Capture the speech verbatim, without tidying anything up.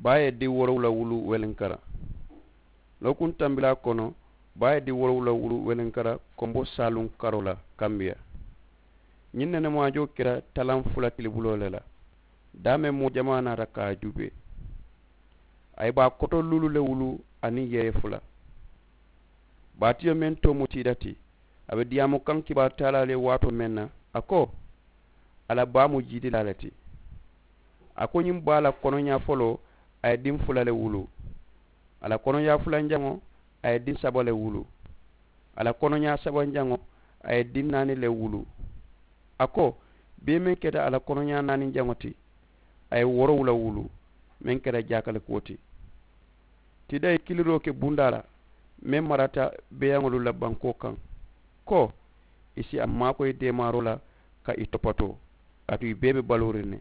Baa ye diŋ woorowula wulu welenkara. Lookuŋ tambilaa kono, baa ye diŋ woorowula wulu welenkara kombo saaluŋ karoo la kambiya. Ñiŋ nenemaajoo keta talaŋ fula tilibuloo le la. Daameŋ moo jamaa naata ka a juubee. A ye baa koto luulu le wulu aniŋ yeeye fula. Baatiyo meŋ too mu tiida ti, a be diyaamu kaŋ kibaaru taalaa le waatoo meŋ na, a ko, a la baa mu jiidilaa le ti. A ko ñiŋ baa la konoñaa foloo, a ye diŋ fula le wulu. A la konoñaa fulanjaŋo, a ye diŋ saba le wulu. A la konoñaa sabanjaŋo, a ye diŋ naani le wulu. A ko, bee meŋ keta a la konoñaa naaninjaŋo ti, a ye woorowula wulu, meŋ keta jaakalikuwo ti. Tiida ye kiliroo ke bundaa la, meŋ marata beeyaŋolu la bankoo kaŋ, ko, i si a maakoyi deemaaroo la ka i topatoo, kaatu i bee be baluuriŋ ne.